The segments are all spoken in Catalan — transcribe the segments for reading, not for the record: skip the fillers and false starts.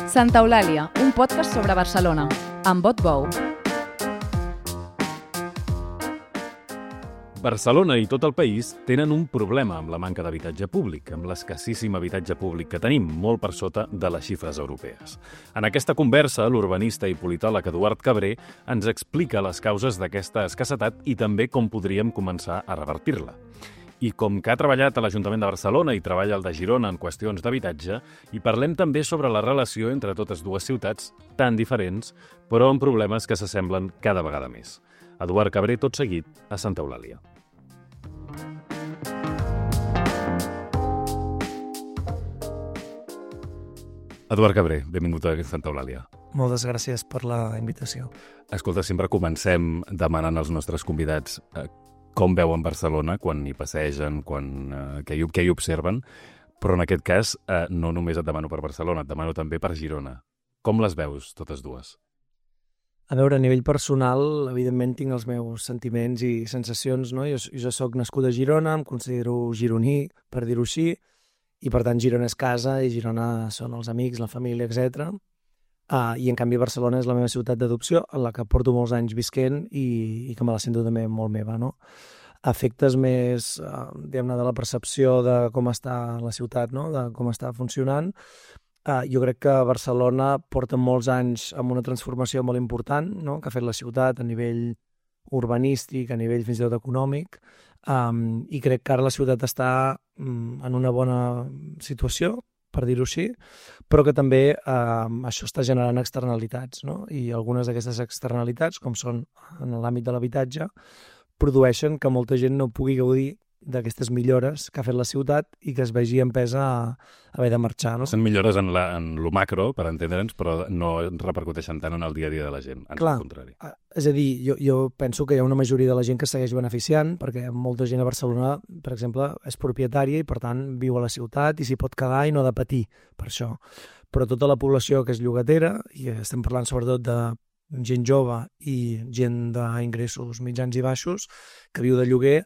Santa Eulàlia, un podcast sobre Barcelona, amb Bot Bou. Barcelona i tot el país tenen un problema amb la manca d'habitatge públic, amb l'escassíssim habitatge públic que tenim, molt per sota de les xifres europees. En aquesta conversa, l'urbanista i politòleg Eduard Cabré ens explica les causes d'aquesta escassetat i també com podríem començar a revertir-la. I com que ha treballat a l'Ajuntament de Barcelona i treballa al de Girona en qüestions d'habitatge, i parlem també sobre la relació entre totes dues ciutats tan diferents, però amb problemes que s'assemblen cada vegada més. Eduard Cabré, tot seguit, a Santa Eulàlia. Eduard Cabré, benvingut a Santa Eulàlia. Moltes gràcies per la invitació. Escolta, sempre comencem demanant als nostres convidats com veuen Barcelona quan hi passegen, què hi observen, però en aquest cas no només et demano per Barcelona, et demano també per Girona. Com les veus, totes dues? A veure, a nivell personal, evidentment tinc els meus sentiments i sensacions, no? Jo soc nascut a Girona, em considero gironí, per dir-ho així, i per tant Girona és casa i Girona són els amics, la família, etc. I en canvi Barcelona és la meva ciutat d'adopció, en la que porto molts anys visquent i que me la sento també molt meva, no? Efectes més, diguem-ne, de la percepció de com està la ciutat, no? De com està funcionant. Jo crec que Barcelona porta molts anys amb una transformació molt important, no? Que ha fet la ciutat a nivell urbanístic, a nivell fins i tot econòmic, i crec que ara la ciutat està en una bona situació, per dir-ho així, però que també això està generant externalitats, no? I algunes d'aquestes externalitats, com són en l'àmbit de l'habitatge, produeixen que molta gent no pugui gaudir d'aquestes millores que ha fet la ciutat i que es vegi empesa a haver de marxar, no? Són millores en lo macro, per entendre'ns, però no repercuteixen tant en el dia a dia de la gent, ans al contrari. És a dir, jo penso que hi ha una majoria de la gent que segueix beneficiant, perquè molta gent a Barcelona, per exemple, és propietària i per tant viu a la ciutat i s'hi pot quedar i no ha de patir per això. Però tota la població que és llogatera, i estem parlant sobretot de gent jove i gent d'ingressos mitjans i baixos que viu de lloguer,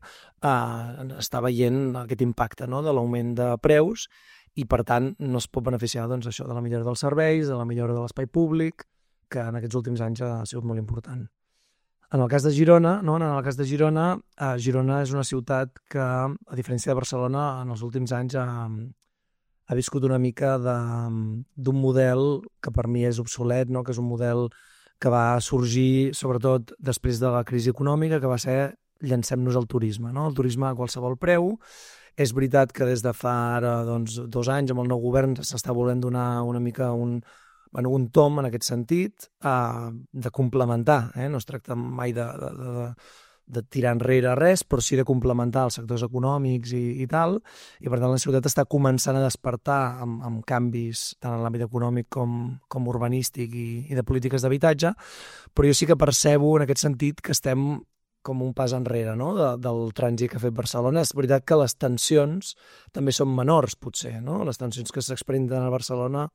està veient aquest impacte, no? De l'augment de preus i per tant no es pot beneficiar doncs, això de la millora dels serveis, de la millora de l'espai públic, que en aquests últims anys ha sigut molt important. En el cas de Girona, Girona és una ciutat que, a diferència de Barcelona, en els últims anys ha viscut una mica d'un model que per mi és obsolet, no? Que és un model que va sorgir sobretot després de la crisi econòmica, que va ser llancem-nos al turisme, no? El turisme a qualsevol preu. És veritat que des de fa ara 2 anys amb el nou govern s'està volent donar una mica un tom en aquest sentit, de complementar, no es tracta mai de tirar enrere res, però sí de complementar els sectors econòmics i tal, i per tant la ciutat està començant a despertar amb canvis tant en l'àmbit econòmic com urbanístic i de polítiques d'habitatge, però jo sí que percebo en aquest sentit que estem com un pas enrere, no? Del trànsit que ha fet Barcelona. És veritat que les tensions també són menors, potser, no? Les tensions que s'experimenten a Barcelona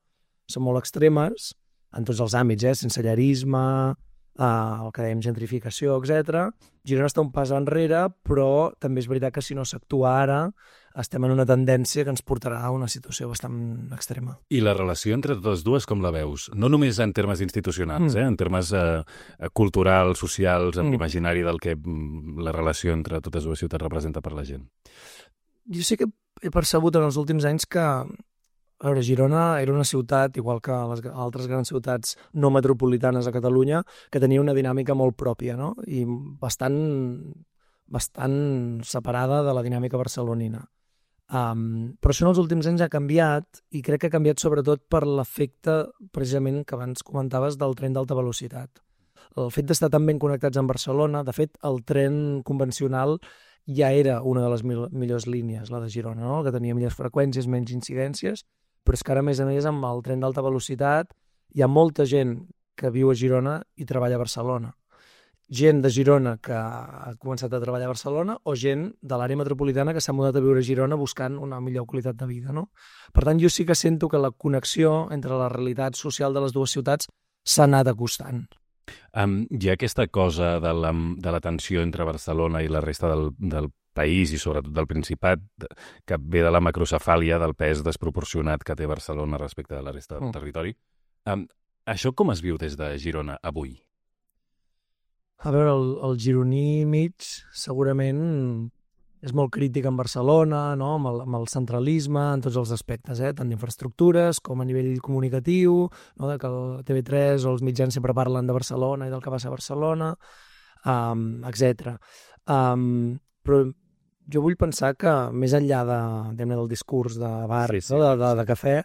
són molt extremes, en tots els àmbits, sensellarisme, el que dèiem gentrificació, etc. Girona està un pas enrere, però també és veritat que si no s'actua ara estem en una tendència que ens portarà a una situació bastant extrema. I la relació entre totes dues com la veus? No només en termes institucionals, en termes culturals, socials, en l'imaginari del que la relació entre totes dues ciutats representa per la gent. Jo sí que he percebut en els últims anys que a veure, Girona era una ciutat, igual que les altres grans ciutats no metropolitanes a Catalunya, que tenia una dinàmica molt pròpia, no? I bastant separada de la dinàmica barcelonina. Però això en els últims anys ha canviat i crec que ha canviat sobretot per l'efecte, precisament, que abans comentaves del tren d'alta velocitat. El fet d'estar tan ben connectats amb Barcelona, de fet, el tren convencional ja era una de les millors línies, la de Girona, no? Que tenia millors freqüències, menys incidències, però és que ara, a més, amb el tren d'alta velocitat hi ha molta gent que viu a Girona i treballa a Barcelona. Gent de Girona que ha començat a treballar a Barcelona o gent de l'àrea metropolitana que s'ha mudat a viure a Girona buscant una millor qualitat de vida, no? Per tant, jo sí que sento que la connexió entre la realitat social de les dues ciutats s'ha anat acostant. Hi ha aquesta cosa de la tensió entre Barcelona i la resta del país i sobretot del Principat, que ve de la macrocefàlia del pes desproporcionat que té Barcelona respecte de la resta del territori. Això com es viu des de Girona avui? A veure, el gironí mig segurament és molt crític en Barcelona, no? Amb el centralisme, en tots els aspectes, tant d'infraestructures com a nivell comunicatiu, no? De que el TV3 o els mitjans sempre parlen de Barcelona i del que passa a Barcelona, etc. Però jo vull pensar que més enllà del discurs de bar, Sí. no? de cafè,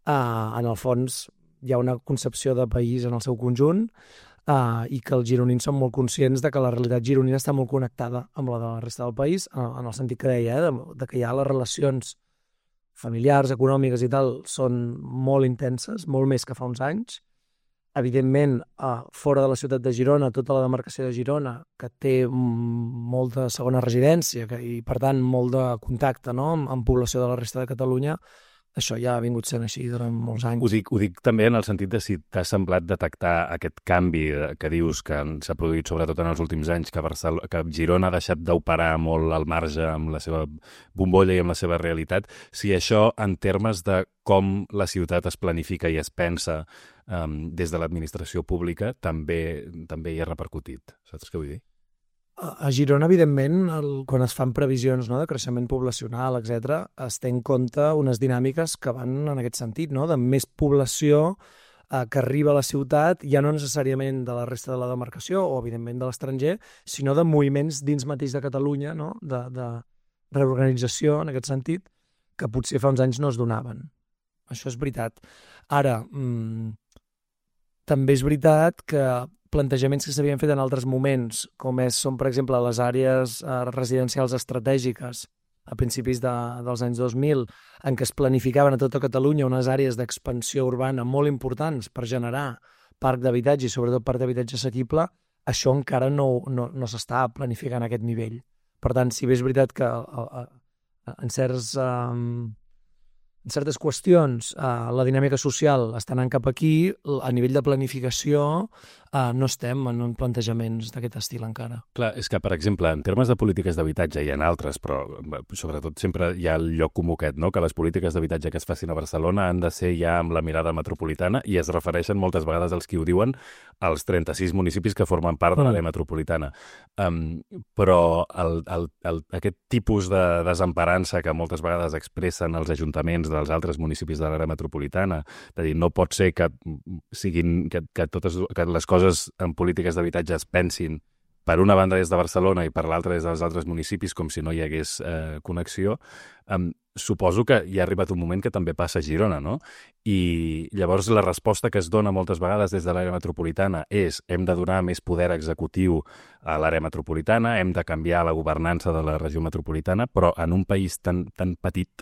en el fons hi ha una concepció de país en el seu conjunt, i que els gironins són molt conscients de que la realitat gironina està molt connectada amb la de la resta del país, en el sentit que deia, de que ja les relacions familiars, econòmiques i tal, són molt intenses, molt més que fa uns anys. Evidentment, fora de la ciutat de Girona, tota la demarcació de Girona, que té molta segona residència i, per tant, molt de contacte, no? amb població de la resta de Catalunya, això ja ha vingut sent així durant molts anys. Ho dic també en el sentit de si t'ha semblat detectar aquest canvi que dius que s'ha produït sobretot en els últims anys, que Girona ha deixat d'operar molt al marge amb la seva bombolla i amb la seva realitat, si això en termes de com la ciutat es planifica i es pensa des de l'administració pública també hi ha repercutit. Saps què vull dir? A Girona, evidentment, quan es fan previsions, no, de creixement poblacional, etc., es té en compte unes dinàmiques que van en aquest sentit, no, de més població que arriba a la ciutat, ja no necessàriament de la resta de la demarcació o, evidentment, de l'estranger, sinó de moviments dins mateix de Catalunya, no, de reorganització, en aquest sentit, que potser fa uns anys no es donaven. Això és veritat. Ara, també és veritat que plantejaments que s'havien fet en altres moments, com són, per exemple, les àrees residencials estratègiques a principis dels anys 2000, en què es planificaven a tota Catalunya unes àrees d'expansió urbana molt importants per generar parc d'habitatge i sobretot parc d'habitatge assequible, això encara no s'està planificant a aquest nivell. Per tant, si bé és veritat que en certes qüestions la dinàmica social està anant cap aquí, a nivell de planificació no estem en plantejaments d'aquest estil encara. Clar, és que, per exemple, en termes de polítiques d'habitatge hi ha altres, però sobretot sempre hi ha el lloc comú aquest, no? Que les polítiques d'habitatge que es facin a Barcelona han de ser ja amb la mirada metropolitana i es refereixen moltes vegades als qui ho diuen als 36 municipis que formen part de l'àrea metropolitana. Però aquest tipus de desemparança que moltes vegades expressen els ajuntaments dels altres municipis de l'àrea metropolitana, és a dir, no pot ser que les coses en polítiques d'habitatge es pensin per una banda des de Barcelona i per l'altra des dels altres municipis com si no hi hagués connexió. Suposo que hi ha arribat un moment que també passa a Girona, no? I llavors la resposta que es dona moltes vegades des de l'àrea metropolitana és hem de donar més poder executiu a l'àrea metropolitana, hem de canviar la governança de la regió metropolitana, però en un país tan petit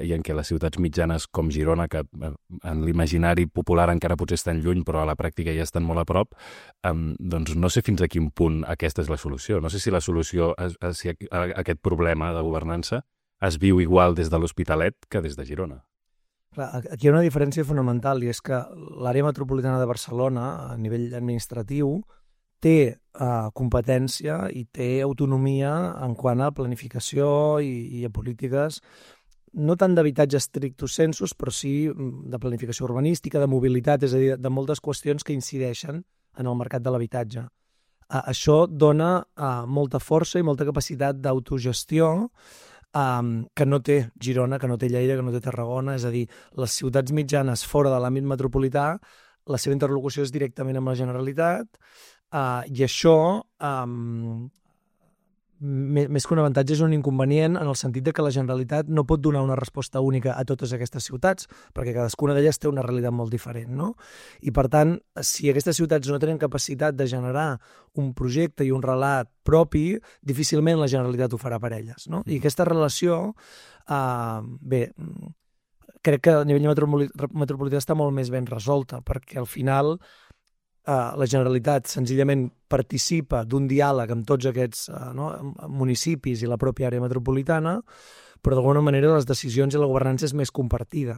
i en què les ciutats mitjanes com Girona, que en l'imaginari popular encara potser estan lluny, però a la pràctica ja estan molt a prop, doncs no sé fins a quin punt aquesta és la solució. No sé si la solució a aquest problema de governança es viu igual des de l'Hospitalet que des de Girona. Clar, aquí hi ha una diferència fonamental i és que l'àrea metropolitana de Barcelona, a nivell administratiu, té competència i té autonomia en quant a planificació i a polítiques no tant d'habitatge stricto sensus, però sí de planificació urbanística, de mobilitat, és a dir, de moltes qüestions que incideixen en el mercat de l'habitatge. Això dona molta força i molta capacitat d'autogestió que no té Girona, que no té Lleida, que no té Tarragona, és a dir, les ciutats mitjanes fora de l'àmbit metropolità, la seva interlocució és directament amb la Generalitat i això més que un avantatge és un inconvenient en el sentit de que la Generalitat no pot donar una resposta única a totes aquestes ciutats, perquè cadascuna d'elles té una realitat molt diferent, no? I per tant, si aquestes ciutats no tenen capacitat de generar un projecte i un relat propi, difícilment la Generalitat ho farà per elles, no? I aquesta relació, crec que a nivell metropolità està molt més ben resolta, perquè al final la Generalitat senzillament participa d'un diàleg amb tots aquests municipis i la pròpia àrea metropolitana, però d'alguna manera les decisions i la governança és més compartida.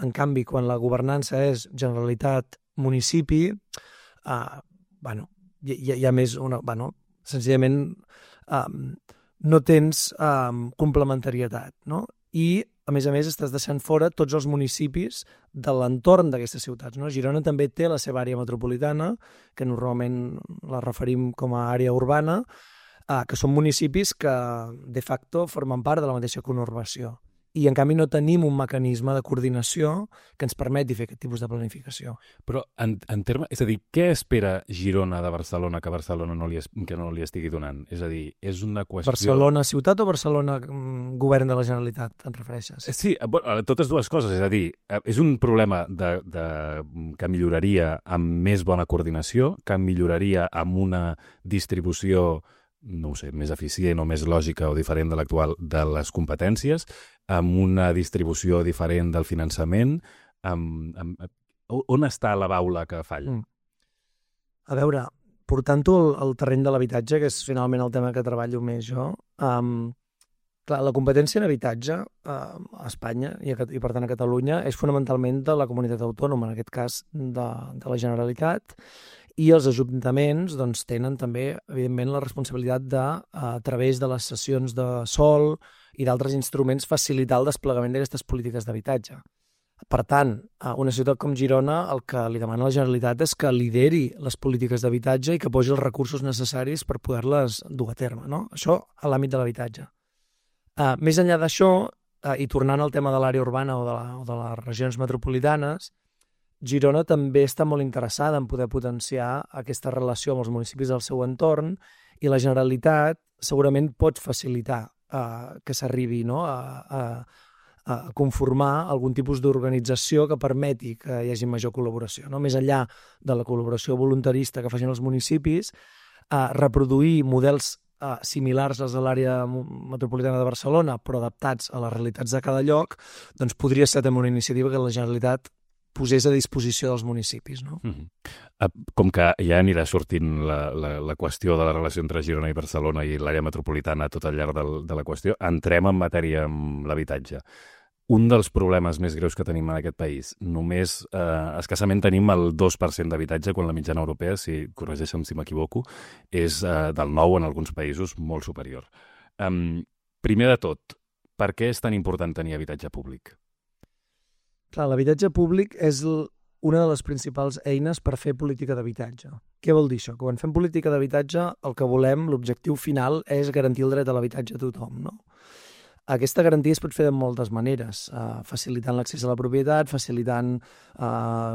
En canvi, quan la governança és Generalitat-municipi, hi ha més senzillament no tens complementarietat, no? I a més, estàs deixant fora tots els municipis de l'entorn d'aquestes ciutats, no? Girona també té la seva àrea metropolitana, que normalment la referim com a àrea urbana, que són municipis que de facto formen part de la mateixa conurbació. I en canvi no tenim un mecanisme de coordinació que ens permeti fer aquest tipus de planificació. Però en termes... És a dir, què espera Girona de Barcelona que Barcelona no li estigui donant? És a dir, és una qüestió... Barcelona ciutat o Barcelona govern de la Generalitat, et refereixes? Sí, totes dues coses. És a dir, és un problema que milloraria amb més bona coordinació, que milloraria amb una distribució, no ho sé, més eficient o més lògica o diferent de l'actual de les competències, amb una distribució diferent del finançament. On està la baula que falla? A veure, portant-ho al terreny de l'habitatge, que és finalment el tema que treballo més jo, clar, la competència en habitatge a Espanya i per tant a Catalunya és fonamentalment de la comunitat autònoma, en aquest cas de la Generalitat, i els ajuntaments doncs, tenen també, evidentment, la responsabilitat de, a través de les cessions de sòl i d'altres instruments, facilitar el desplegament d'aquestes polítiques d'habitatge. Per tant, a una ciutat com Girona, el que li demana la Generalitat és que lideri les polítiques d'habitatge i que posi els recursos necessaris per poder-les dur a terme, no? Això a l'àmbit de l'habitatge. Més enllà d'això, i tornant al tema de l'àrea urbana o de les regions metropolitanes, Girona també està molt interessada en poder potenciar aquesta relació amb els municipis del seu entorn i la Generalitat segurament pot facilitar que s'arribi, no, a conformar algun tipus d'organització que permeti que hi hagi major col·laboració, no? Més enllà de la col·laboració voluntarista que facin els municipis, reproduir models similars als de l'àrea metropolitana de Barcelona, però adaptats a les realitats de cada lloc, doncs podria ser també una iniciativa que la Generalitat posés a disposició dels municipis, no? Com que ja anirà sortint la qüestió de la relació entre Girona i Barcelona i l'àrea metropolitana tot al llarg de la qüestió, entrem en matèria amb l'habitatge. Un dels problemes més greus que tenim en aquest país, només escassament tenim el 2% d'habitatge, quan la mitjana europea, si corregeixen si m'equivoco, és del 9% en alguns països, molt superior. Primer de tot, per què és tan important tenir habitatge públic? Clar, l'habitatge públic és una de les principals eines per fer política d'habitatge. Què vol dir això? Que quan fem política d'habitatge el que volem, l'objectiu final, és garantir el dret a l'habitatge a tothom, no? Aquesta garantia es pot fer de moltes maneres, facilitant l'accés a la propietat, facilitant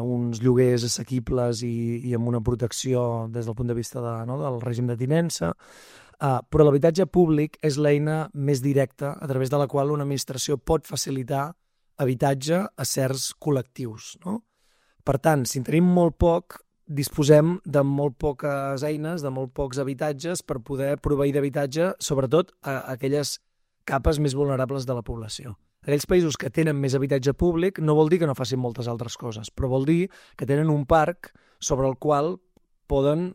uns lloguers assequibles i amb una protecció des del punt de vista del règim de tinença, però l'habitatge públic és l'eina més directa a través de la qual una administració pot facilitar habitatge a certs col·lectius, no? Per tant, si en tenim molt poc, disposem de molt poques eines, de molt pocs habitatges per poder proveir d'habitatge, sobretot a aquelles capes més vulnerables de la població. Aquells països que tenen més habitatge públic no vol dir que no facin moltes altres coses, però vol dir que tenen un parc sobre el qual poden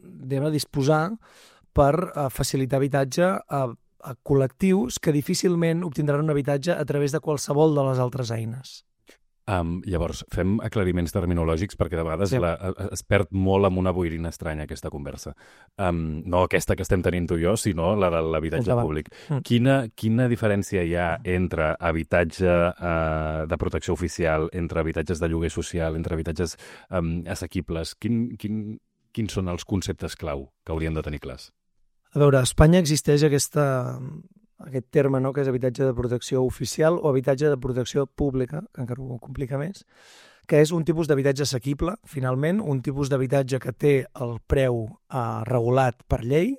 disposar per facilitar habitatge a col·lectius que difícilment obtindran un habitatge a través de qualsevol de les altres eines. Llavors, fem aclariments terminològics perquè de vegades es perd molt amb una boirina estranya aquesta conversa. No aquesta que estem tenint tu i jo, sinó la de l'habitatge públic. Quina diferència hi ha entre habitatge de protecció oficial, entre habitatges de lloguer social, entre habitatges assequibles? Quins són els conceptes clau que hauríem de tenir clars? A veure, a Espanya existeix aquest terme, no?, que és habitatge de protecció oficial o habitatge de protecció pública, que encara ho complica més, que és un tipus d'habitatge assequible, finalment, un tipus d'habitatge que té el preu regulat per llei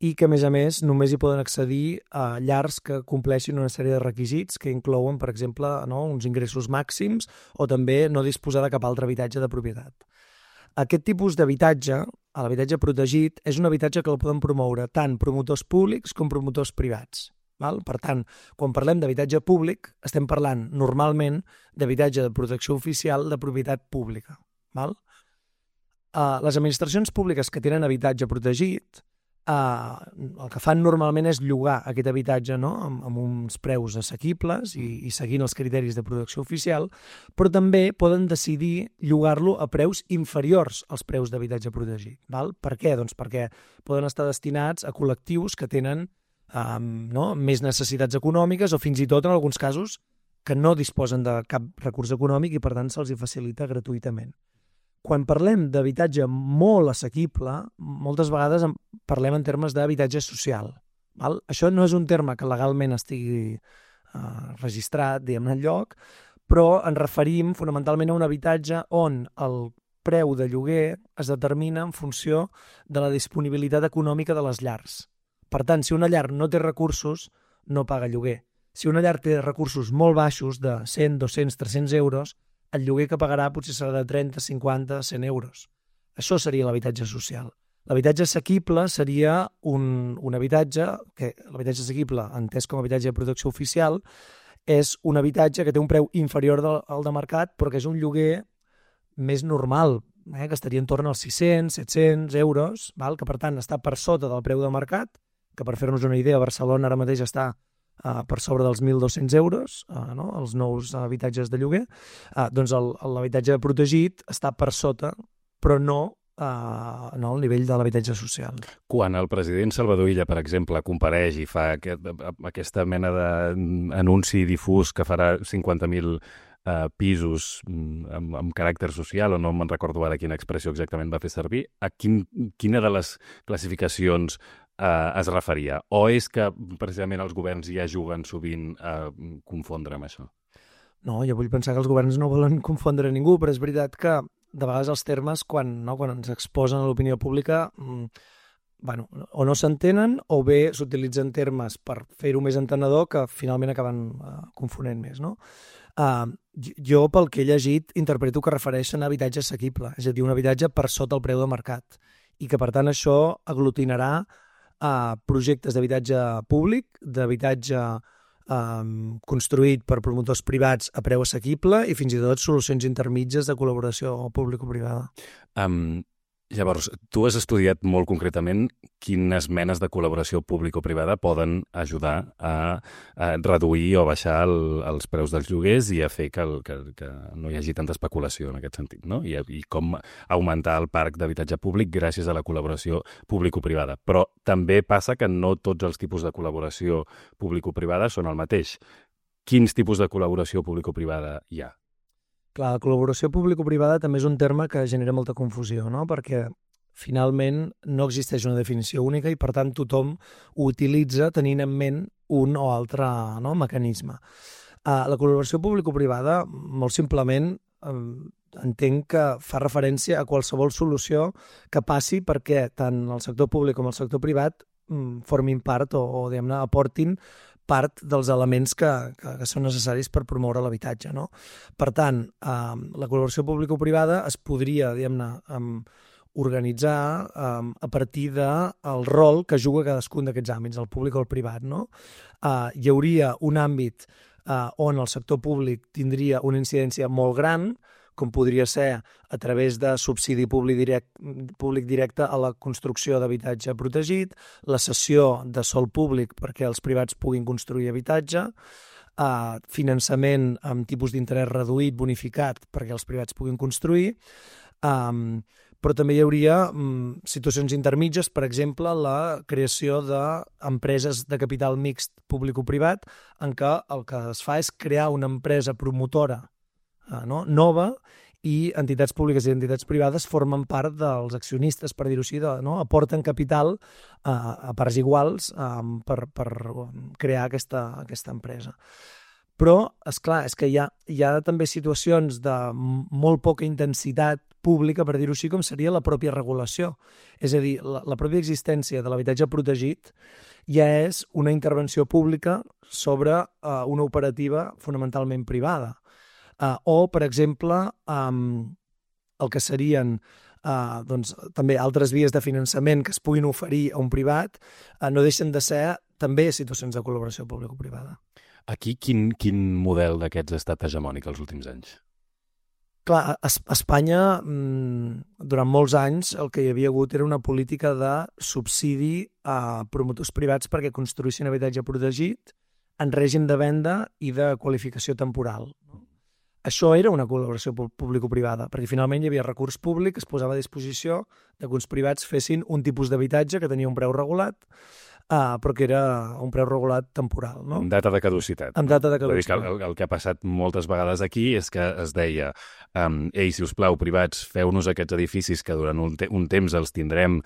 i que, a més, només hi poden accedir a llars que compleixin una sèrie de requisits que inclouen, per exemple, uns ingressos màxims o també no disposar de cap altre habitatge de propietat. Aquest tipus d'habitatge, l'habitatge protegit, és un habitatge que el poden promoure tant promotors públics com promotors privats. Per tant, quan parlem d'habitatge públic, estem parlant normalment d'habitatge de protecció oficial de propietat pública. Les administracions públiques que tenen habitatge protegit, el que fan normalment és llogar aquest habitatge, no?, amb uns preus assequibles i seguint els criteris de protecció oficial, però també poden decidir llogar-lo a preus inferiors als preus d'habitatge protegit. Per què? Doncs perquè poden estar destinats a col·lectius que tenen més necessitats econòmiques o fins i tot, en alguns casos, que no disposen de cap recurs econòmic i, per tant, se'ls hi facilita gratuïtament. Quan parlem d'habitatge molt assequible, moltes vegades parlem en termes d'habitatge social. Val? Això no és un terme que legalment estigui registrat, diguem-ne, enlloc, però ens referim fonamentalment a un habitatge on el preu de lloguer es determina en funció de la disponibilitat econòmica de les llars. Per tant, si una llar no té recursos, no paga lloguer. Si una llar té recursos molt baixos, de 100, 200, 300 euros, el lloguer que pagarà potser serà de 30, 50, 100 euros. Això seria l'habitatge social. L'habitatge assequible seria un habitatge, que l'habitatge assequible, entès com a habitatge de protecció oficial, és un habitatge que té un preu inferior al de mercat, però que és un lloguer més normal, que estaria en torn als 600, 700 euros, val? Que per tant està per sota del preu de mercat, que per fer-nos una idea, Barcelona ara mateix està per sobre dels 1.200 euros, no? Els nous habitatges de lloguer, doncs l'habitatge protegit està per sota, però no al nivell de l'habitatge social. Quan el president Salvador Illa, per exemple, compareix i fa aquesta mena d'anunci difús que farà 50.000 pisos amb caràcter social, o no me'n recordo ara quina expressió exactament va fer servir, a quina de les classificacions es referia? O és que precisament els governs ja juguen sovint a confondre amb això? No, jo vull pensar que els governs no volen confondre ningú, però és veritat que de vegades els termes, quan ens exposen a l'opinió pública, o no s'entenen o bé s'utilitzen termes per fer-ho més entenedor que finalment acaben confonent més, no? Jo, pel que he llegit, interpreto que refereixen a habitatge assequible, és a dir, un habitatge per sota el preu de mercat, i que, per tant, això aglutinarà projectes d'habitatge públic, d'habitatge construït per promotors privats a preu assequible i fins i tot solucions intermitges de col·laboració público-privada. Llavors, tu has estudiat molt concretament quines menes de col·laboració público-privada poden ajudar a reduir o baixar els preus dels lloguers i a fer que no hi hagi tanta especulació en aquest sentit, no? I com augmentar el parc d'habitatge públic gràcies a la col·laboració público-privada. Però també passa que no tots els tipus de col·laboració público-privada són el mateix. Quins tipus de col·laboració público-privada hi ha? Clar, la col·laboració público-privada també és un terme que genera molta confusió, no? Perquè finalment no existeix una definició única i per tant tothom ho utilitza tenint en ment un o altre mecanisme. La col·laboració público-privada, molt simplement, entenc que fa referència a qualsevol solució que passi perquè tant el sector públic com el sector privat formin part o diguem-ne, aportin part dels elements que són necessaris per promoure l'habitatge, no? Per tant, la col·laboració público-privada es podria, diguem-ne, organitzar a partir del rol que juga cadascun d'aquests àmbits, el públic o el privat, no? Hi hauria un àmbit on el sector públic tindria una incidència molt gran, com podria ser a través de subsidi públic directe a la construcció d'habitatge protegit, la cessió de sòl públic perquè els privats puguin construir habitatge, finançament amb tipus d'interès reduït, bonificat, perquè els privats puguin construir, però també hi hauria situacions intermitges, per exemple, la creació d'empreses de capital mixt públic-privat, en què el que es fa és crear una empresa promotora nova i entitats públiques i entitats privades formen part dels accionistes, per dir-ho així, aporten capital a parts iguals per crear aquesta empresa. Però, esclar, és que hi ha també situacions de molt poca intensitat pública, per dir-ho així, com seria la pròpia regulació. És a dir, la pròpia existència de l'habitatge protegit ja és una intervenció pública sobre una operativa fonamentalment privada. O, per exemple, el que serien també altres vies de finançament que es puguin oferir a un privat no deixen de ser també situacions de col·laboració público-privada. Aquí quin model d'aquests ha estat hegemònic els últims anys? Clar, a Espanya, durant molts anys, el que hi havia hagut era una política de subsidi a promotors privats perquè construïssin habitatge protegit en règim de venda i de qualificació temporal. Això era una col·laboració público-privada, perquè finalment hi havia recurs públic que es posava a disposició de que uns privats fessin un tipus d'habitatge que tenia un preu regulat però que era un preu regulat temporal, no? Amb data de caducitat. Amb data de És a dir, caducitat. que el que ha passat moltes vegades aquí és que es deia ei, si us plau, privats, feu-nos aquests edificis que durant un temps els tindrem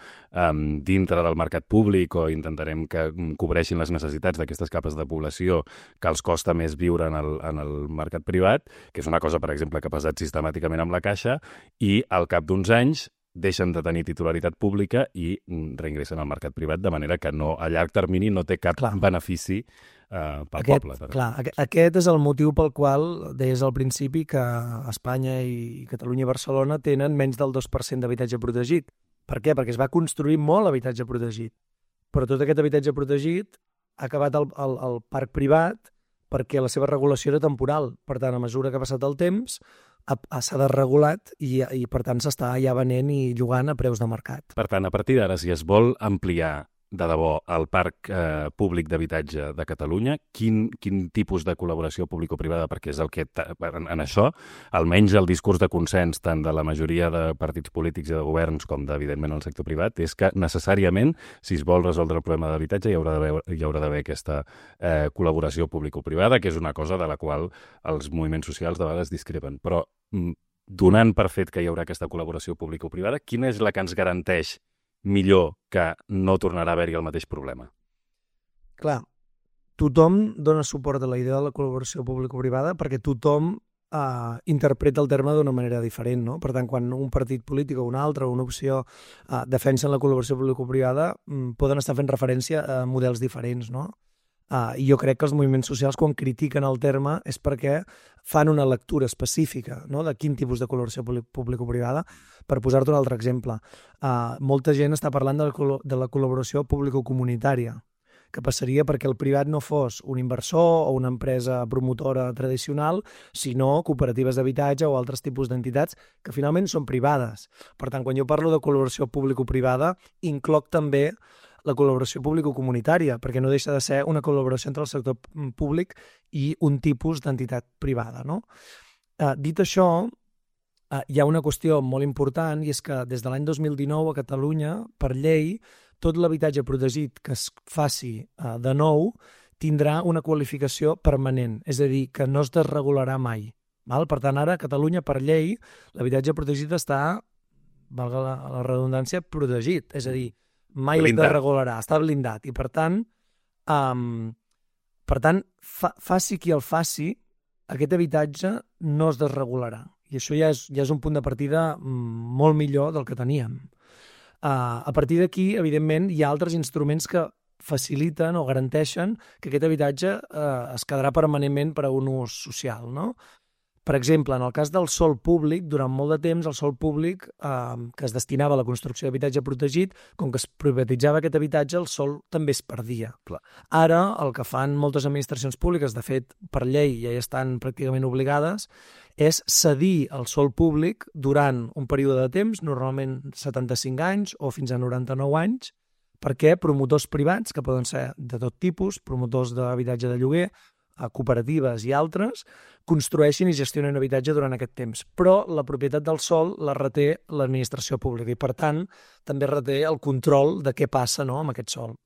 dintre del mercat públic o intentarem que cobreixin les necessitats d'aquestes capes de població que els costa més viure en el mercat privat, que és una cosa, per exemple, que ha passat sistemàticament amb la Caixa, i al cap d'uns anys deixen de tenir titularitat pública i reingressen al mercat privat, de manera que a llarg termini no té cap benefici pel poble. Aquest és el motiu pel qual deies al principi que Espanya i Catalunya i Barcelona tenen menys del 2% d'habitatge protegit. Per què? Perquè es va construir molt habitatge protegit. Però tot aquest habitatge protegit ha acabat al parc privat perquè la seva regulació era temporal. Per tant, a mesura que ha passat el temps, s'ha desregulat i per tant s'està ja venent i llogant a preus de mercat. Per tant, a partir d'ara, si es vol ampliar de debò el parc públic d'habitatge de Catalunya, quin tipus de col·laboració público-privada, perquè és el que en això, almenys el discurs de consens tant de la majoria de partits polítics i de governs com evidentment el sector privat, és que necessàriament, si es vol resoldre el problema d'habitatge, hi haurà d'haver aquesta col·laboració público-privada, que és una cosa de la qual els moviments socials de vegades discrepen. Però donant per fet que hi haurà aquesta col·laboració público-privada, quina és la que ens garanteix millor que no tornarà a haver-hi el mateix problema? Clar, tothom dona suport a la idea de la col·laboració público-privada perquè tothom interpreta el terme d'una manera diferent, no? Per tant, quan un partit polític o un altre o una opció defensen la col·laboració público-privada, poden estar fent referència a models diferents, no? I jo crec que els moviments socials, quan critiquen el terme, és perquè fan una lectura específica, no?, de quin tipus de col·laboració público-privada. Per posar-te un altre exemple, molta gent està parlant de la col·laboració público-comunitària, que passaria perquè el privat no fos un inversor o una empresa promotora tradicional, sinó cooperatives d'habitatge o altres tipus d'entitats que finalment són privades. Per tant, quan jo parlo de col·laboració público-privada, incloc també la col·laboració público-comunitària, perquè no deixa de ser una col·laboració entre el sector públic i un tipus d'entitat privada, no? Dit això, hi ha una qüestió molt important, i és que des de l'any 2019 a Catalunya, per llei, tot l'habitatge protegit que es faci de nou tindrà una qualificació permanent, és a dir, que no es desregularà mai. Per tant, ara a Catalunya, per llei, l'habitatge protegit està, valga la redundància, protegit, és a dir, mai es desregularà, està blindat. I per tant, faci qui el faci, aquest habitatge no es desregularà. I això ja és un punt de partida molt millor del que teníem. A partir d'aquí, evidentment, hi ha altres instruments que faciliten o garanteixen que aquest habitatge es quedarà permanentment per a un ús social, no? Per exemple, en el cas del sòl públic, durant molt de temps el sòl públic que es destinava a la construcció d'habitatge protegit, com que es privatitzava aquest habitatge, el sòl també es perdia. Clar. Ara, el que fan moltes administracions públiques, de fet, per llei ja hi estan pràcticament obligades, és cedir el sòl públic durant un període de temps, normalment 75 anys o fins a 99 anys, perquè promotors privats, que poden ser de tot tipus, promotors d'habitatge de lloguer, cooperatives i altres, construeixin i gestionen habitatge durant aquest temps. Però la propietat del sòl la reté l'administració pública i, per tant, també reté el control de què passa, no?, amb aquest sòl.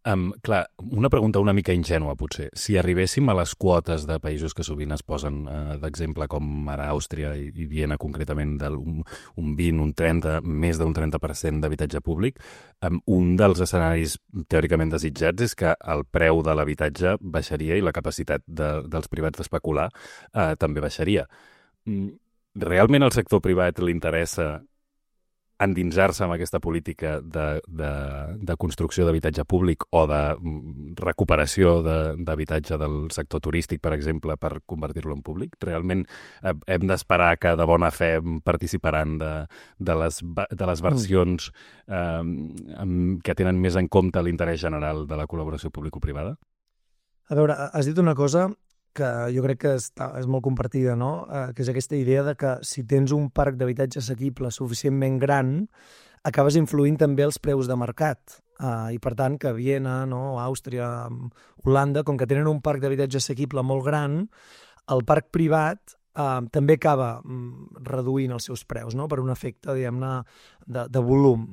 Clar, una pregunta una mica ingènua, potser. Si arribéssim a les quotes de països que sovint es posen d'exemple, com ara Àustria i Viena, concretament, un 20, un 30, més d'un 30% d'habitatge públic, un dels escenaris teòricament desitjats és que el preu de l'habitatge baixaria i la capacitat dels privats d'especular també baixaria. Realment al sector privat li interessa endinsar-se en aquesta política de construcció d'habitatge públic o de recuperació d'habitatge del sector turístic, per exemple, per convertir-lo en públic? Realment hem d'esperar que de bona fe participaran de les versions que tenen més en compte l'interès general de la col·laboració público-privada? A veure, has dit una cosa que jo crec que és molt compartida, no? Que és aquesta idea de que si tens un parc d'habitatge assequible suficientment gran, acabes influint també els preus de mercat. I per tant, que Viena, no? Àustria, Holanda, com que tenen un parc d'habitatge assequible molt gran, el parc privat també acaba reduint els seus preus, no? Per un efecte, diguem-ne, de volum.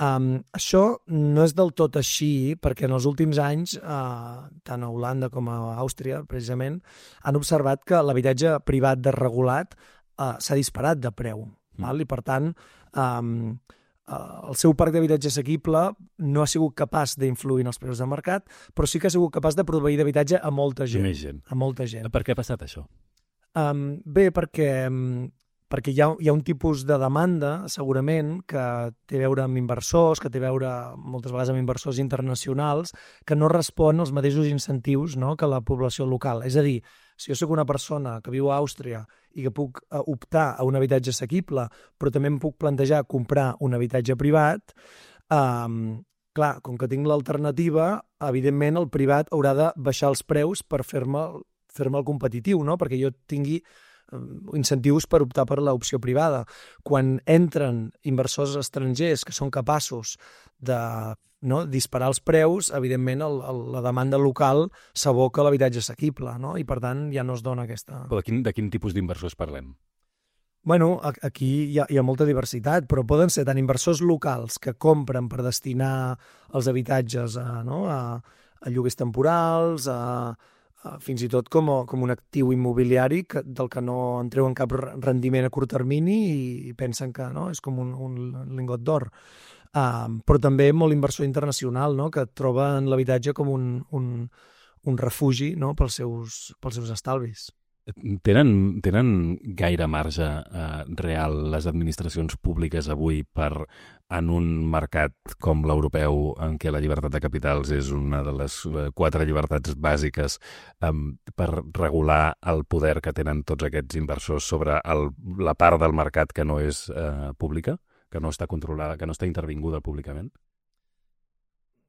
Això no és del tot així, perquè en els últims anys, tant a Holanda com a Àustria, precisament, han observat que l'habitatge privat desregulat s'ha disparat de preu. Val? I, per tant, el seu parc d'habitatge assequible no ha sigut capaç d'influir en els preus de mercat, però sí que ha sigut capaç de proveir d'habitatge a molta gent. A molta gent. Per què ha passat això? Bé, perquè hi ha un tipus de demanda, segurament, que té a veure amb inversors, que té a veure moltes vegades amb inversors internacionals, que no respon als mateixos incentius, no?, que la població local. És a dir, si jo soc una persona que viu a Àustria i que puc optar a un habitatge assequible, però també em puc plantejar comprar un habitatge privat, clar, com que tinc l'alternativa, evidentment el privat haurà de baixar els preus per fer-me el competitiu, no?, perquè jo tingui incentius per optar per l'opció privada. Quan entren inversors estrangers que són capaços de disparar els preus, evidentment la demanda local s'aboca a l'habitatge assequible, no? I per tant ja no es dona aquesta... Però de quin tipus d'inversors parlem? Bueno, aquí hi ha molta diversitat, però poden ser tant inversors locals que compren per destinar els habitatges a lloguers temporals, fins i tot com un actiu immobiliari del que no en treuen cap rendiment a curt termini i pensen que és com un lingot d'or. Però també molt inversor internacional, que troba en l'habitatge com un refugi, pels seus estalvis. Tenen gaire marge real les administracions públiques avui en un mercat com l'europeu, en què la llibertat de capitals és una de les 4 llibertats bàsiques, per regular el poder que tenen tots aquests inversors sobre la part del mercat que no és pública, que no està controlada, que no està intervinguda públicament?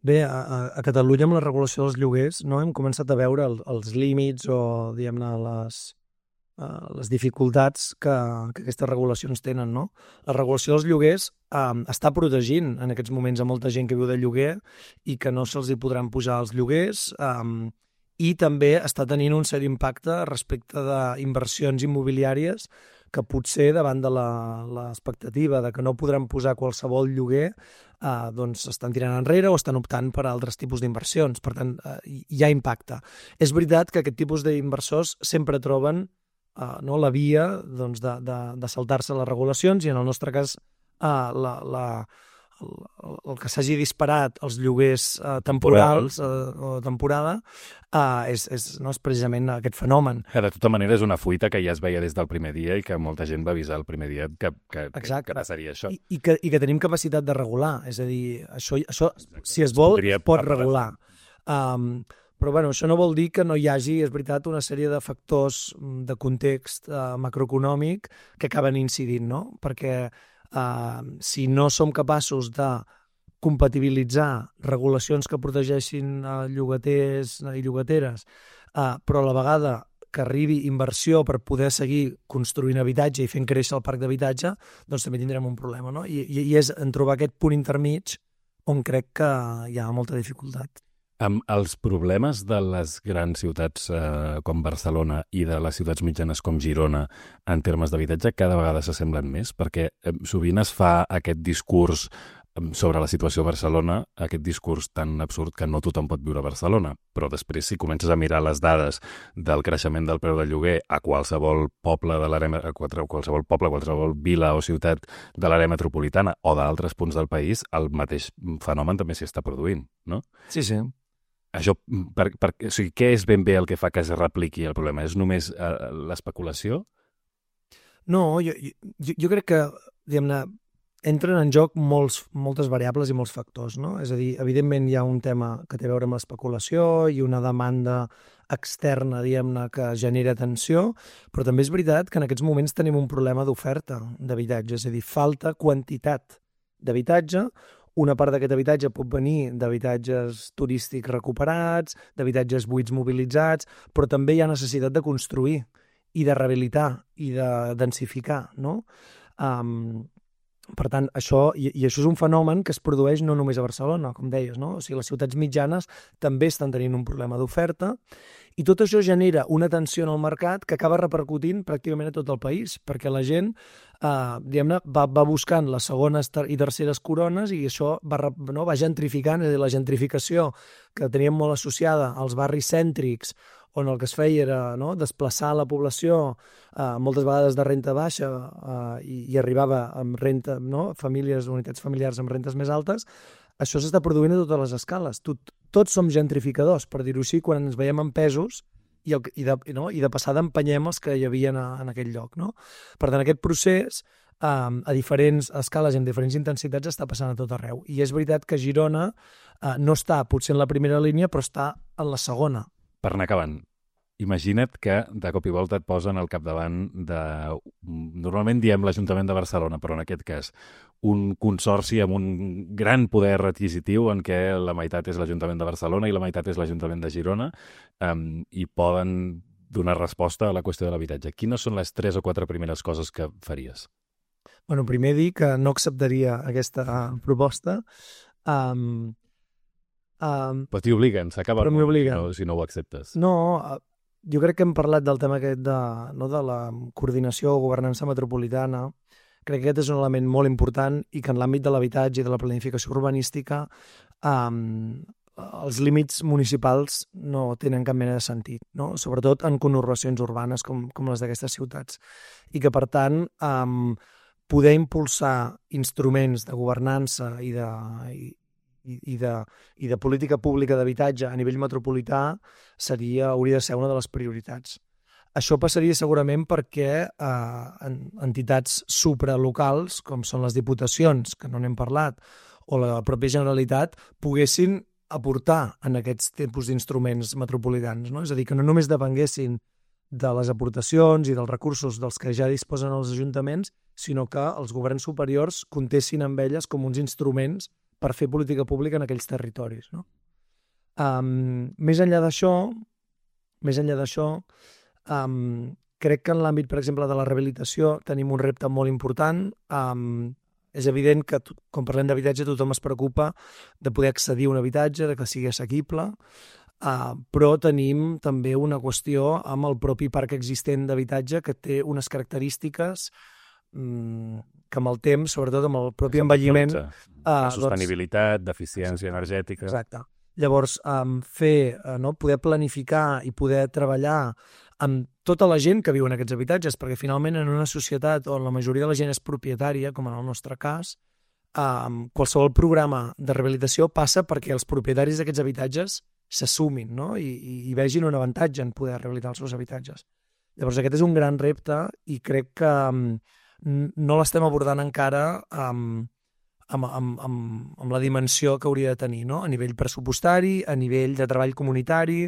Bé, a Catalunya amb la regulació dels lloguers hem començat a veure els límits o, diguem-ne, les dificultats que aquestes regulacions tenen, no? La regulació dels lloguers està protegint en aquests moments a molta gent que viu de lloguer i que no se'ls hi podran pujar els lloguers, i també està tenint un cert impacte respecte d'inversions immobiliàries que potser davant de l'expectativa de que no podran posar qualsevol lloguer, doncs estan tirant enrere o estan optant per altres tipus d'inversions. Per tant, hi ha impacte. És veritat que aquest tipus d'inversors sempre troben la via de saltar-se les regulacions i en el nostre cas el que s'hagi disparat els lloguers temporals o temporada és precisament aquest fenomen. De tota manera, és una fuita que ja es veia des del primer dia i que molta gent va avisar el primer dia que passaria això. I que tenim capacitat de regular. És a dir, això si es vol, pot regular. Però bueno, això no vol dir que no hi hagi, és veritat, una sèrie de factors de context macroeconòmic que acaben incidint, no? Perquè si no som capaços de compatibilitzar regulacions que protegeixin llogaters i llogateres, però a la vegada que arribi inversió per poder seguir construint habitatge i fent créixer el parc d'habitatge, doncs també tindrem un problema, no? I és en trobar aquest punt intermig on crec que hi ha molta dificultat. Els problemes de les grans ciutats com Barcelona i de les ciutats mitjanes com Girona en termes d'habitatge cada vegada s'assemblen més, perquè sovint es fa aquest discurs sobre la situació a Barcelona, aquest discurs tan absurd que no tothom pot viure a Barcelona, però després si comences a mirar les dades del creixement del preu del lloguer a qualsevol poble de l'àrea, qualsevol vila o ciutat de l'àrea metropolitana o d'altres punts del país, el mateix fenomen també s'hi està produint, no? Sí, sí. Això, o sigui, què és ben bé el que fa que es repliqui el problema? És només l'especulació? No, jo crec que, diguem-ne, entren en joc moltes variables i molts factors, no? És a dir, evidentment hi ha un tema que té a veure amb l'especulació i una demanda externa, diguem-ne, que genera tensió, però també és veritat que en aquests moments tenim un problema d'oferta d'habitatge, és a dir, falta quantitat d'habitatge. Una part d'aquest habitatge pot venir d'habitatges turístics recuperats, d'habitatges buits mobilitzats, però també hi ha necessitat de construir i de rehabilitar i de densificar, no? Per tant, això és un fenomen que es produeix no només a Barcelona, com deies, no? O sigui, les ciutats mitjanes també estan tenint un problema d'oferta i tot això genera una tensió en el mercat que acaba repercutint pràcticament a tot el país, perquè la gent diguem-ne, va buscant les segones i terceres corones i això va gentrificant, és a dir, la gentrificació que teníem molt associada als barris cèntrics, on el que es feia era desplaçar la població moltes vegades de renta baixa i arribava amb renta, unitats familiars amb rentes més altes, això s'està produint a totes les escales. Tots som gentrificadors, per dir-ho així, quan ens veiem en pesos i de passada empenyem els que hi havia en aquell lloc. No? Per tant, aquest procés a diferents escales i amb diferents intensitats està passant a tot arreu. I és veritat que Girona no està potser en la primera línia, però està en la segona. Per anar acabant, imagina't que de cop i volta et posen al capdavant de... Normalment diem l'Ajuntament de Barcelona, però en aquest cas un consorci amb un gran poder adquisitiu en què la meitat és l'Ajuntament de Barcelona i la meitat és l'Ajuntament de Girona i poden donar resposta a la qüestió de l'habitatge. Quines són les 3 o 4 primeres coses que faries? Bueno, primer dir que no acceptaria aquesta proposta. Però t'hi obliguen, s'acaba però m'obliguen. Si no ho acceptes. No, jo crec que hem parlat del tema aquest de la coordinació o governança metropolitana. Crec que aquest és un element molt important i que en l'àmbit de l'habitatge i de la planificació urbanística els límits municipals no tenen cap mena de sentit, no? Sobretot en conurbacions urbanes com les d'aquestes ciutats. I que, per tant, poder impulsar instruments de governança i de política pública d'habitatge a nivell metropolità hauria de ser una de les prioritats. Això passaria segurament perquè entitats supralocals, com són les diputacions, que no n'hem parlat, o la pròpia Generalitat, poguessin aportar en aquests tipus d'instruments metropolitans, no? És a dir, que no només depenguessin de les aportacions i dels recursos dels que ja disposen els ajuntaments, sinó que els governs superiors comptessin amb elles com uns instruments per fer política pública en aquells territoris. No? Més enllà d'això, crec que en l'àmbit, per exemple, de la rehabilitació tenim un repte molt important. És evident que, quan parlem d'habitatge, tothom es preocupa de poder accedir a un habitatge, de que sigui assequible, però tenim també una qüestió amb el propi parc existent d'habitatge que té unes característiques que amb el temps, sobretot amb el propi envelliment... Sostenibilitat, d'eficiència energètica... Exacte. Llavors, poder planificar i poder treballar amb tota la gent que viu en aquests habitatges, perquè finalment en una societat on la majoria de la gent és propietària, com en el nostre cas, qualsevol programa de rehabilitació passa perquè els propietaris d'aquests habitatges s'assumin, no? I vegin un avantatge en poder rehabilitar els seus habitatges. Llavors aquest és un gran repte i crec que no l'estem abordant encara amb la dimensió que hauria de tenir, no? A nivell pressupostari, a nivell de treball comunitari,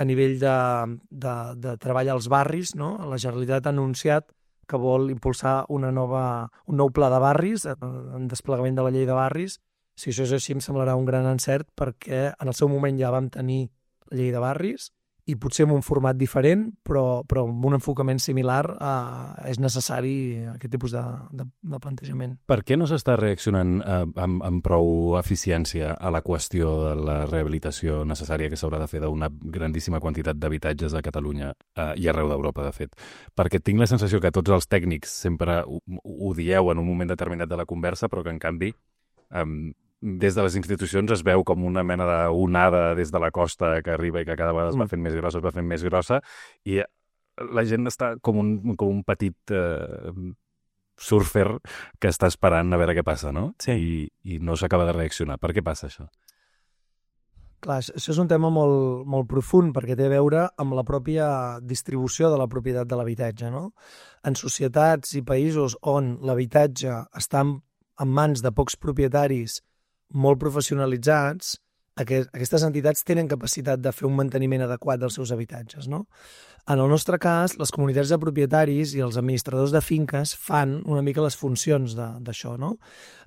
a nivell de treball als barris, no? La Generalitat ha anunciat que vol impulsar un nou pla de barris, en desplegament de la llei de barris. Si això és així, em semblarà un gran encert, perquè en el seu moment ja vam tenir la llei de barris i potser en un format diferent, però amb un enfocament similar és necessari aquest tipus de plantejament. Per què no s'està reaccionant amb prou eficiència a la qüestió de la rehabilitació necessària que s'haurà de fer d'una grandíssima quantitat d'habitatges a Catalunya i arreu d'Europa, de fet? Perquè tinc la sensació que tots els tècnics sempre ho dieu en un moment determinat de la conversa, però que en canvi des de les institucions es veu com una mena d'onada des de la costa que arriba i que cada vegada es va fent més grossa, i la gent està com un petit surfer que està esperant a veure què passa, no? Sí. I no s'acaba de reaccionar. Per què passa això? Clar, això és un tema molt, molt profund, perquè té a veure amb la pròpia distribució de la propietat de l'habitatge, no? En societats i països on l'habitatge està en mans de pocs propietaris molt professionalitzats, aquestes entitats tenen capacitat de fer un manteniment adequat dels seus habitatges, no? En el nostre cas, les comunitats de propietaris i els administradors de finques fan una mica les funcions d'això, no?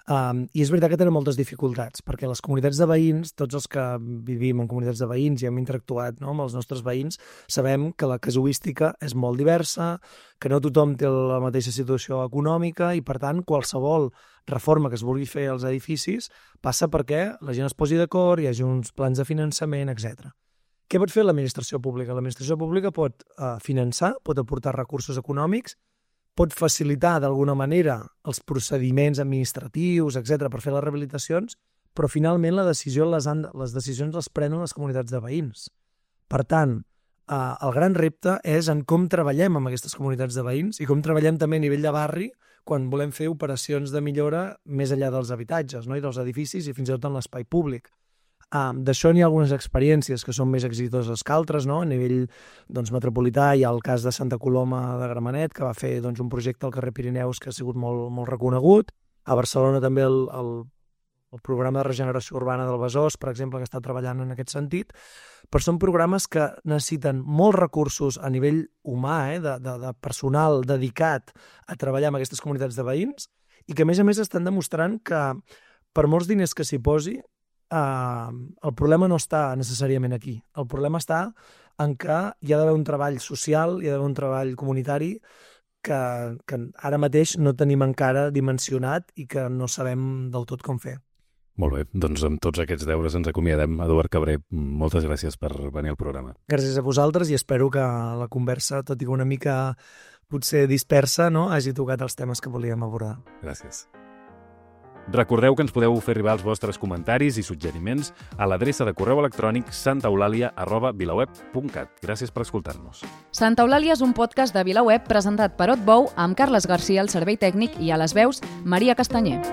I és veritat que tenen moltes dificultats, perquè les comunitats de veïns, tots els que vivim en comunitats de veïns i hem interactuat, no, amb els nostres veïns, sabem que la casuística és molt diversa, que no tothom té la mateixa situació econòmica i, per tant, qualsevol reforma que es vulgui fer als edificis passa perquè la gent es posi d'acord, hi hagi uns plans de finançament, etc. Què pot fer l'administració pública? L'administració pública pot finançar, pot aportar recursos econòmics, pot facilitar d'alguna manera els procediments administratius, etc., per fer les rehabilitacions, però finalment les decisions les prenen les comunitats de veïns. Per tant, el gran repte és en com treballem amb aquestes comunitats de veïns i com treballem també a nivell de barri quan volem fer operacions de millora més enllà dels habitatges, no? I dels edificis i fins i tot en l'espai públic. D'això n'hi ha algunes experiències que són més exitoses que altres, no? A nivell metropolità hi ha el cas de Santa Coloma de Gramenet, que va fer un projecte al carrer Pirineus que ha sigut molt reconegut. A Barcelona també el programa de regeneració urbana del Besòs, per exemple, que està treballant en aquest sentit, però són programes que necessiten molts recursos a nivell humà, de personal dedicat a treballar amb aquestes comunitats de veïns i que, a més, estan demostrant que per molts diners que s'hi posi, el problema no està necessàriament aquí. El problema està en que hi ha d'haver un treball social, hi ha d'haver un treball comunitari que ara mateix no tenim encara dimensionat i que no sabem del tot com fer. Molt bé, doncs amb tots aquests deures ens acomiadem. Eduard Cabré, moltes gràcies per venir al programa. Gràcies a vosaltres i espero que la conversa, tot i que una mica potser dispersa, no, hagi tocat els temes que volíem abordar. Gràcies. Recordeu que ens podeu fer arribar els vostres comentaris i suggeriments a l'adreça de correu electrònic santaeulàlia@vilaweb.cat. Gràcies per escoltar-nos. Santa Eulàlia és un podcast de VilaWeb presentat per Otbou amb Carles Garcia al servei tècnic i a les veus Maria Castanyer.